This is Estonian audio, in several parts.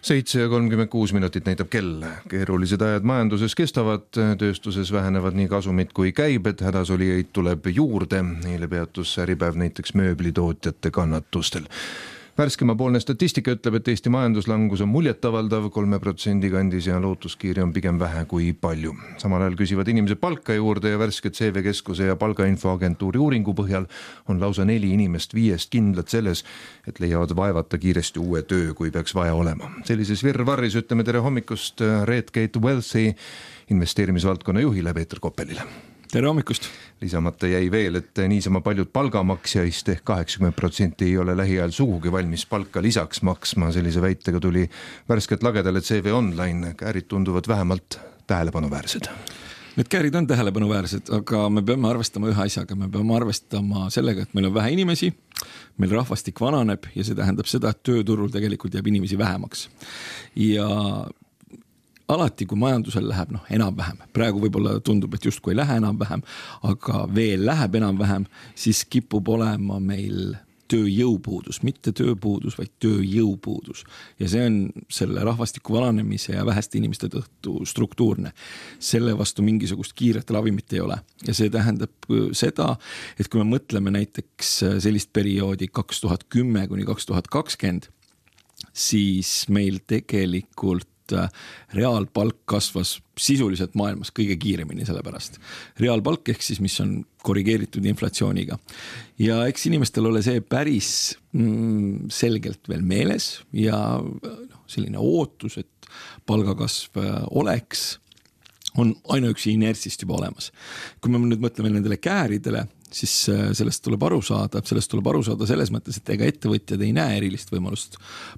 7:36 näitab kell. Keerulised ajad majanduses kestavad, tööstuses vähenevad nii kasumid kui käibed, hädasolijaid tuleb juurde. Eile peatus Äripäev näiteks mööblitootjate kannatustel. Värskemapoolne statistika ütleb, et Eesti majanduslangus on muljetavaldav 3% kandis ja lootuskiiri on pigem vähe kui palju. Samal ajal küsivad inimesed palka juurde ja värsked CV Keskuse ja palgainfoagentuuri uuringu põhjal on lausa 4 inimest 5 kindlad selles, et leiavad vaevata kiiresti uue töö, kui peaks vaja olema. Sellises virvarris ütleme tere hommikust Redgate Wealthi investeerimisvaldkonna juhile Peeter Koppelile. Tere hommikust! Lisamata jäi veel, et niisama paljud palgamaksjaist ehk 80% ei ole lähiajal sugugi valmis palka lisaks maksma. Sellise väitega tuli värskelt lagedale CV Online. Käärid tunduvad vähemalt tähelepanuväärsed. Need käärid on tähelepanuväärsed, aga me peame arvestama ühe asjaga. Me peame arvestama sellega, et meil on vähe inimesi, meil rahvastik vananeb ja see tähendab seda, et tööturul tegelikult jääb inimesi vähemaks. Ja alati, kui majandusel läheb enam-vähem, praegu võib-olla tundub, et justkui ei lähe enam-vähem, aga veel läheb enam-vähem, siis kipub olema meil tööjõupuudus, mitte tööpuudus, vaid tööjõupuudus. Ja see on selle rahvastiku vananemise ja väheste inimeste tõttu struktuurne. Selle vastu mingisugust kiiret ravimit ei ole. Ja see tähendab seda, et kui me mõtleme näiteks sellist perioodi 2010 kuni 2020, siis meil tegelikult reaalpalk kasvas sisuliselt maailmas kõige kiiremini sellepärast. Reaalpalk ehk siis, mis on korrigeeritud inflatsiooniga. Ja eks inimestel ole see päris selgelt veel meeles ja selline ootus, et palgakasv oleks, on ainuüksi inertsist juba olemas. Kui me nüüd mõtleme nendele kääridele, siis sellest tuleb aru saada selles mõttes, et ega ettevõtjad ei näe erilist võimalust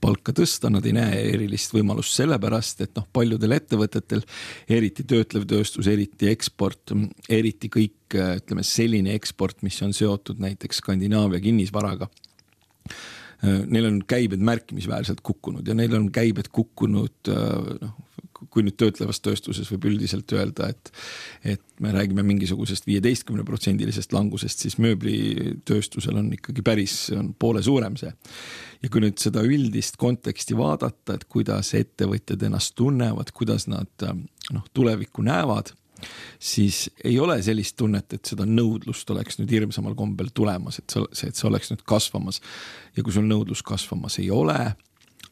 palka tõsta, nad ei näe erilist võimalust sellepärast, et paljudel ettevõtetel, eriti töötlev tööstus, eriti eksport, eriti kõik, ütleme, selline eksport, mis on seotud näiteks Skandinaavia kinnisvaraga, neil on käibed märkimisväärselt kukkunud ja neil on käibed kukkunud, kui nüüd töötlevas tööstuses võib üldiselt öelda, et me räägime mingisugusest 15% langusest, siis mööblitööstusel on ikkagi on poole suurem see. Ja kui nüüd seda üldist konteksti vaadata, et kuidas ettevõtjad ennast tunnevad, kuidas nad tulevikku näevad, siis ei ole sellist tunnet, et seda nõudlust oleks nüüd hirmsamal kombel tulemas, et see oleks nüüd kasvamas. Ja kui sul nõudlus kasvamas ei ole,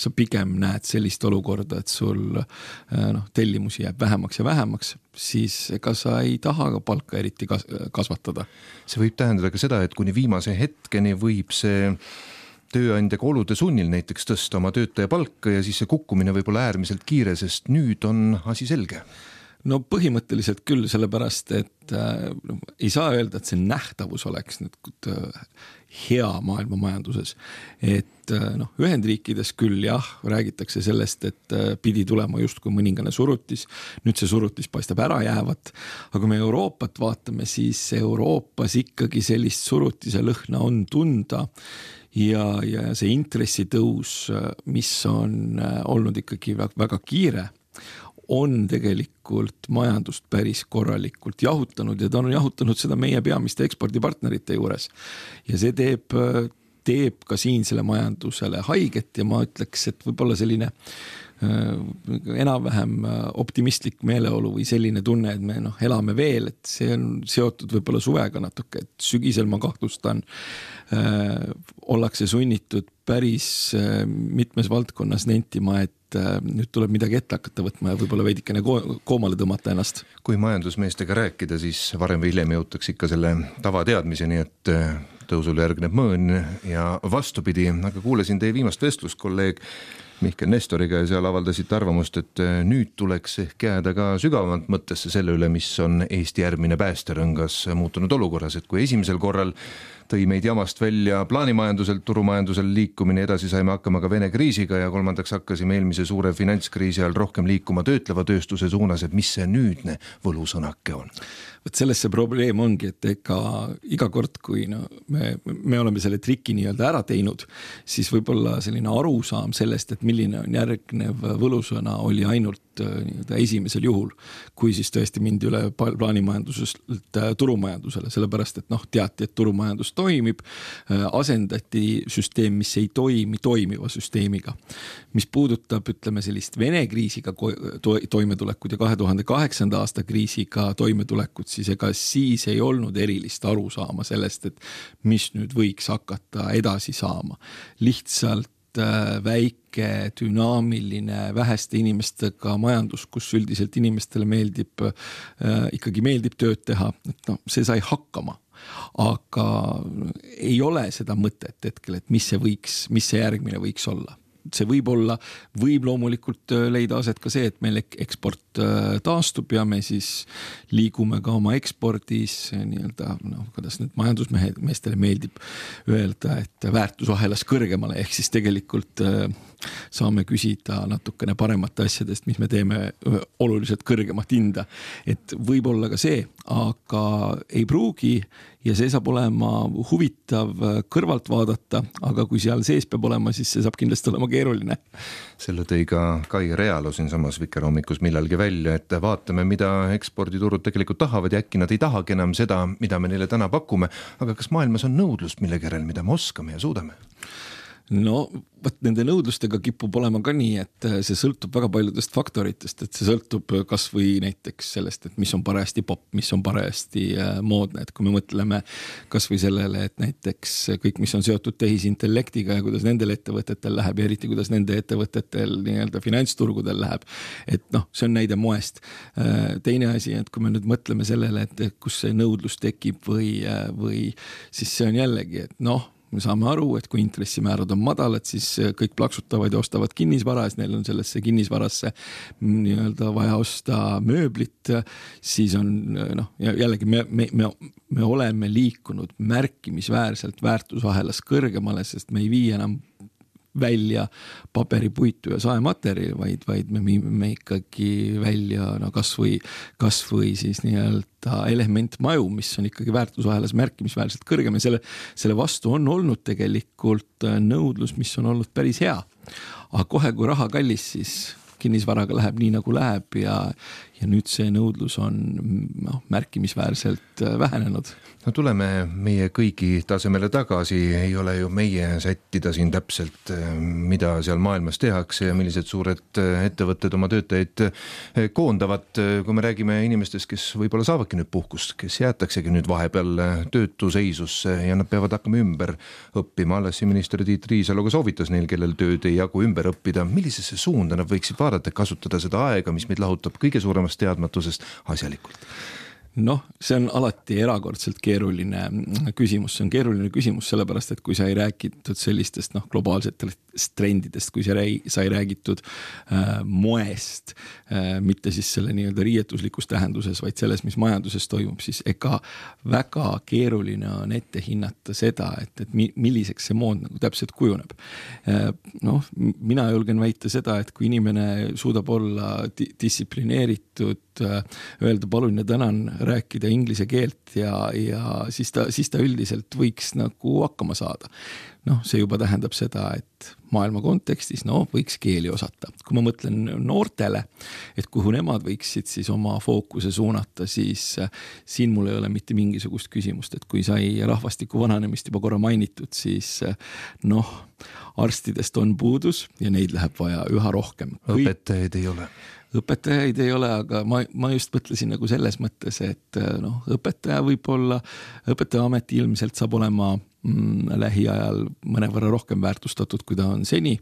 sa pigem näed sellist olukorda, et sul tellimusi jääb vähemaks ja vähemaks, siis ega sa ei taha ka palka eriti kasvatada. See võib tähendada ka seda, et kuni viimase hetkeni võib see tööandjaga olude sunnil näiteks tõsta oma töötaja palka ja siis see kukkumine võib olla äärmiselt kiire, sest nüüd on asi selge. No põhimõtteliselt küll, sellepärast, et ei saa öelda, et see nähtavus oleks nüüd hea maailma majanduses. Et Ühendriikides küll räägitakse sellest, et pidi tulema justkui mõningane surutis. Nüüd see surutis paistab ära jäävat. Aga kui me Euroopat vaatame, siis Euroopas ikkagi sellist surutise lõhna on tunda. Ja see intressitõus, mis on olnud ikkagi väga kiire, on tegelikult majandust päris korralikult jahutanud ja ta on jahutanud seda meie peamiste ekspordipartnerite juures. Ja see teeb ka siinsele majandusele haiget ja ma ütleks, et võib-olla selline enam-vähem optimistlik meeleolu või selline tunne, et me elame veel, et see on seotud võib-olla suvega natuke, et sügisel ma kahtlustan, ollakse sunnitud päris mitmes valdkonnas nentima, et nüüd tuleb midagi ette hakata võtma ja võib-olla veidikene koomale tõmmata ennast. Kui majandusmeestega rääkida, siis varem või hiljem jõutakse ikka selle tavateadmiseni, et tõusule järgneb mõõn ja vastupidi, aga kuulasin teie viimast vestlust kolleeg Mihkel Nestoriga ja seal avaldasite arvamust, et nüüd tuleks ehk jääda ka sügavamalt mõttesse selle üle, mis on Eesti järgmine päästerõngas muutunud olukorras, et kui esimesel korral tõi meid jamast välja plaanimajanduselt, turumajandusel liikumine, edasi saime hakkama ka Vene kriisiga ja kolmandaks hakkasime eelmise suure finantskriisi all rohkem liikuma töötleva tööstuse suunas, et mis see nüüdne võlusõnake on? Võt selles see probleem ongi, et iga kord, kui me oleme selle triki nii-öelda ära teinud, siis võib-olla selline arusaam sellest, et milline on järgnev võlusõna, oli ainult esimesel juhul, kui siis tõesti mindi üle plaanimajandusest turumajandusele, sellepärast et teati, et turumajandus toimib, asendati süsteem, mis ei toimiva süsteemiga. Mis puudutab, ütleme, sellist Vene kriisiga toimetulekut ja 2008. aasta kriisiga toimetulekut, siis ega siis ei olnud erilist arusaama sellest, et mis nüüd võiks hakata edasi saama. Lihtsalt väike, dünaamiline, väheste inimestega majandus, kus üldiselt inimestele ikkagi meeldib tööd teha, et see sai hakkama. Aga ei ole seda mõtet hetkel, et mis see järgmine võiks olla. See võib loomulikult leida aset ka see, et meil eksport taastub ja me siis liigume ka oma ekspordis kuidas nüüd majandusmeestele meeldib öelda, et väärtusahelas kõrgemale, ehk siis tegelikult saame küsida natukene paremate asjadest, mis me teeme oluliselt kõrgemat hinda. Et võib olla ka see, aga ei pruugi ja see saab olema huvitav kõrvalt vaadata, aga kui seal sees peab olema, siis see saab kindlasti olema keeruline. Selle tõi ka Kai Realo siin samas Vikerhommikus millalgi välja, et vaatame, mida eksporditurud tegelikult tahavad ja äkki nad ei tahagi enam seda, mida me neile täna pakume, aga kas maailmas on nõudlust mille järel, mida me oskame ja suudame? No, nende nõudlustega kipub olema ka nii, et see sõltub väga paljudest faktoritest, et see sõltub kas või näiteks sellest, et mis on parajasti pop, mis on parajasti moodne, et kui me mõtleme kas või sellele, et näiteks kõik, mis on seotud tehisintellektiga ja kuidas nendel ettevõtetel läheb ja eriti kuidas nende ettevõtetel finantsturgudel läheb, et see on näide moest. Teine asi, et kui me nüüd mõtleme sellele, et kus see nõudlus tekib või siis see on jällegi, et me saame aru, et kui intressimäärad on madalad, siis kõik plaksutavad ja ostavad kinnisvara, siis neil on sellesse kinnisvarasse vaja osta mööblit, siis on jällegi me oleme liikunud märkimisväärselt väärtusahelas kõrgemale, sest me ei vii enam välja paberi, puitu ja saematerjali, vaid me viime ikkagi välja kas või siis elementmaju, mis on ikkagi väärtusahelas märkimisväärselt kõrgem ja selle vastu on olnud tegelikult nõudlus, mis on olnud päris hea. Aga kohe, kui raha kallis, siis kinnisvaraga läheb nii, nagu läheb ja nüüd see nõudlus on märkimisväärselt vähenenud. No tuleme meie kõigi tasemele tagasi, ei ole ju meie sättida siin täpselt, mida seal maailmas tehakse ja millised suured ettevõtted oma töötajaid koondavad. Kui me räägime inimestest, kes võib-olla saavadki nüüd puhkust, kes jäetaksegi nüüd vahepeal töötuseisusse ja nad peavad hakkama ümber õppima. Alles minister Tiit Riisalo ka soovitas neil, kellel tööd ei jagu ümber õppida. Millisesse suunda nad võiksid vaadata, kasutada seda aega, mis meid lahutab kõige suuremast teadmatusest asjalikult? See on alati erakordselt keeruline küsimus. See on keeruline küsimus sellepärast, et kui sa ei räägitud sellistest globaalsetest trendidest, kui sa ei räägitud moest, mitte siis selle riietuslikus tähenduses, vaid selles, mis majanduses toimub, siis ega väga keeruline on ette hinnata seda, et milliseks see mood täpselt kujuneb. Mina julgen väita seda, et kui inimene suudab olla distsiplineeritud, öelda palun ja tänan, rääkida inglise keelt ja siis ta üldiselt võiks hakkama saada. See juba tähendab seda, et maailma kontekstis võiks keeli osata. Kui ma mõtlen noortele, et kuhu nemad võiksid siis oma fookuse suunata, siis siin mul ei ole mitte mingisugust küsimust, et kui sai rahvastiku vananemist juba korra mainitud, siis arstidest on puudus ja neid läheb vaja üha rohkem. Õpetajaid ei ole. Õpetajaid ei ole, aga ma just mõtlesin selles mõttes, et õpetaja võib-olla, õpetaja ameti ilmselt saab olema lähiajal mõnevõrra rohkem väärtustatud, kui ta on seni,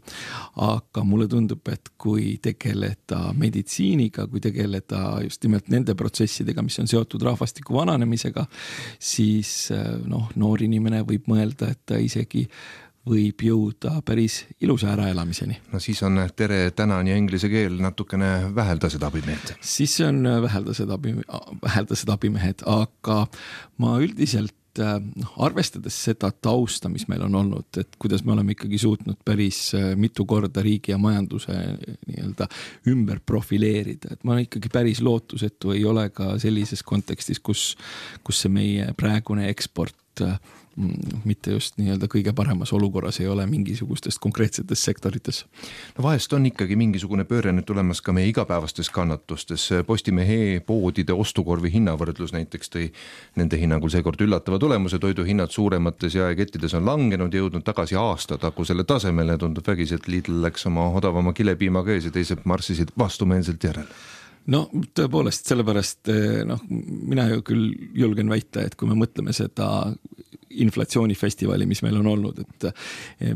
aga mulle tundub, et kui tegeleda meditsiiniga, kui tegeleda just nimelt nende protsessidega, mis on seotud rahvastiku vananemisega, siis noor inimene võib mõelda, et ta isegi võib jõuda päris ilusa äraelamiseni. Siis on tere, tänan ja inglise keel natukene väheldased abimehed. Siis on väheldased abimehed, aga ma üldiselt arvestades seda tausta, mis meil on olnud, et kuidas me oleme ikkagi suutnud päris mitu korda riigi ja majanduse ümber profileerida, et ma ikkagi päris lootusetu ei ole ka sellises kontekstis, kus see meie praegune eksport mitte just nii-öelda kõige paremas olukorras ei ole mingisugustes konkreetsetes sektorites. No vahest on ikkagi mingisugune pööre nüüd tulemas ka meie igapäevastes kannatustes. Postimehe poodide ostukorvi hinnavõrdlus näiteks tõi nende hinnangul seekord üllatava tulemuse, toiduhinnad suuremates jaekettides on langenud, jõudnud tagasi aastatagusele tasemele ja tundub vägisi, et Lidl läks oma odavama kilepiimaga ees ja teised marssisid vastumeelselt järele. No tõepoolest, sellepärast mina ju küll julgen väita, et kui me mõtleme seda inflatsioonifestivali, mis meil on olnud, et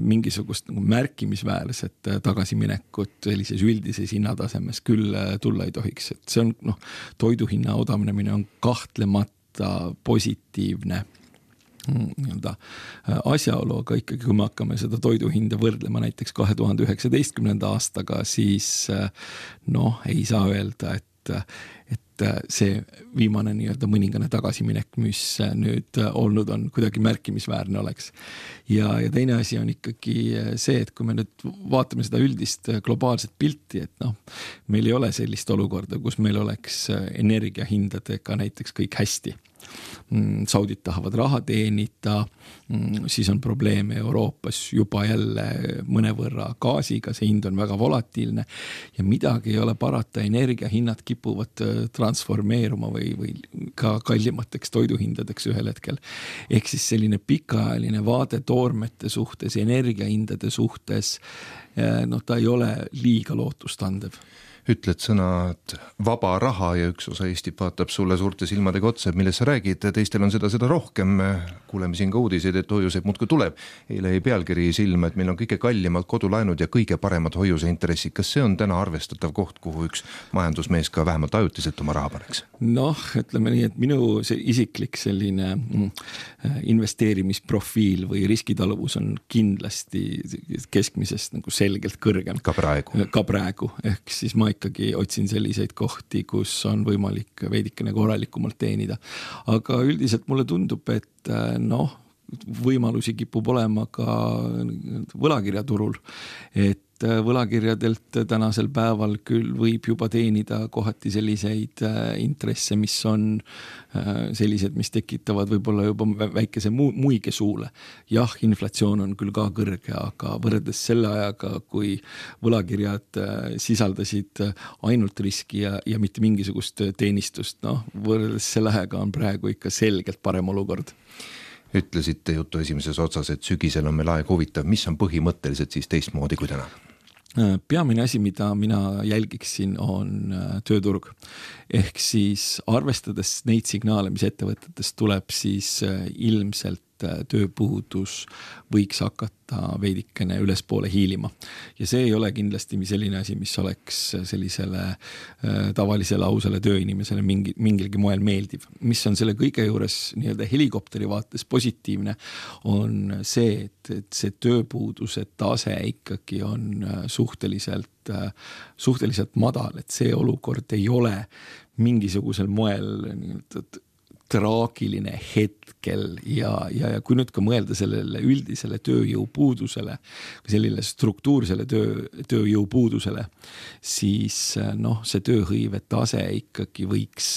mingisugust märkimisväärset tagasiminekut sellises üldises hinnatasemes küll tulla ei tohiks. Et see on, toiduhinna odavnemine on kahtlemata positiivne asjaolu, aga ikkagi kui me hakkame seda toiduhinda võrdlema näiteks 2019. aastaga, siis ei saa öelda, et see viimane nii-öelda mõningane tagasiminek, mis nüüd olnud on, kuidagi märkimisväärne oleks. Ja teine asi on ikkagi see, et kui me nüüd vaatame seda üldist globaalset pilti, et meil ei ole sellist olukorda, kus meil oleks energiahindadega näiteks kõik hästi. Saudid tahavad raha teenida, siis on probleeme Euroopas juba jälle mõnevõrra gaasiga, see hind on väga volatiilne ja midagi ei ole parata, energiahinnad kipuvad transformeeruma või ka kallimateks toiduhindadeks ühel hetkel. Ehk siis selline pikaajaline vaade toormete suhtes, energiahindade suhtes, ta ei ole liiga lootustandev. Ütled sõnad vaba raha ja üks osa Eestit vaatab sulle suurte silmadega otsa, millest sa räägid, teistel on seda rohkem. Kuuleme siin ka uudiseid, et hoiuseid muudkui tuleb. Eile jäi pealkiri silma, et meil on kõige kallimad kodulaenud ja kõige paremad hoiuseintressid. Kas see on täna arvestatav koht, kuhu üks majandusmees ka vähemalt ajutiselt oma raha paneks? Ütleme nii, et minu isiklik selline investeerimisprofiil või riskitaluvus on kindlasti keskmisest selgelt kõrgem. Ka praegu. Ehk siis ma ikkagi otsin selliseid kohti, kus on võimalik veidikene korralikumalt teenida. Aga üldiselt mulle tundub, et võimalusi kipub olema ka võlakirjaturul, et võlakirjadelt tänasel päeval küll võib juba teenida kohati selliseid intresse, mis on sellised, mis tekitavad võib-olla juba väikese muige suule. Jah, inflatsioon on küll ka kõrge, aga võrreldes selle ajaga, kui võlakirjad sisaldasid ainult riski ja mitte mingisugust teenistust, võrreldes selle ajaga on praegu ikka selgelt parem olukord. Ütlesite jutu esimeses otsas, et sügisel on meil aeg huvitav. Mis on põhimõtteliselt siis teistmoodi kui täna? Peamine asi, mida mina jälgiksin, on tööturg. Ehk siis arvestades neid signaale, mis ettevõtetest tuleb, siis ilmselt tööpuudus võiks hakata veidikene ülespoole hiilima. Ja see ei ole kindlasti selline asi, mis oleks sellisele tavalisele ausale tööinimesele mingilgi moel meeldiv. Mis on selle kõige juures nii-öelda helikopteri vaates positiivne, on see, et see tööpuuduse tase ikkagi on suhteliselt madal, et see olukord ei ole mingisugusel moel traagiline hetkel ja kui nüüd ka mõelda sellele üldisele tööjõupuudusele või sellele struktuursele tööjõupuudusele, siis see tööhõive tase ikkagi võiks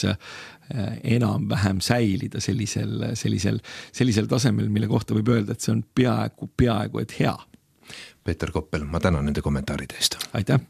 enam-vähem säilida sellisel tasemel, mille kohta võib öelda, et see on peaaegu et hea. Peeter Koppel, ma tänan nende kommentaaride eest. Aitäh!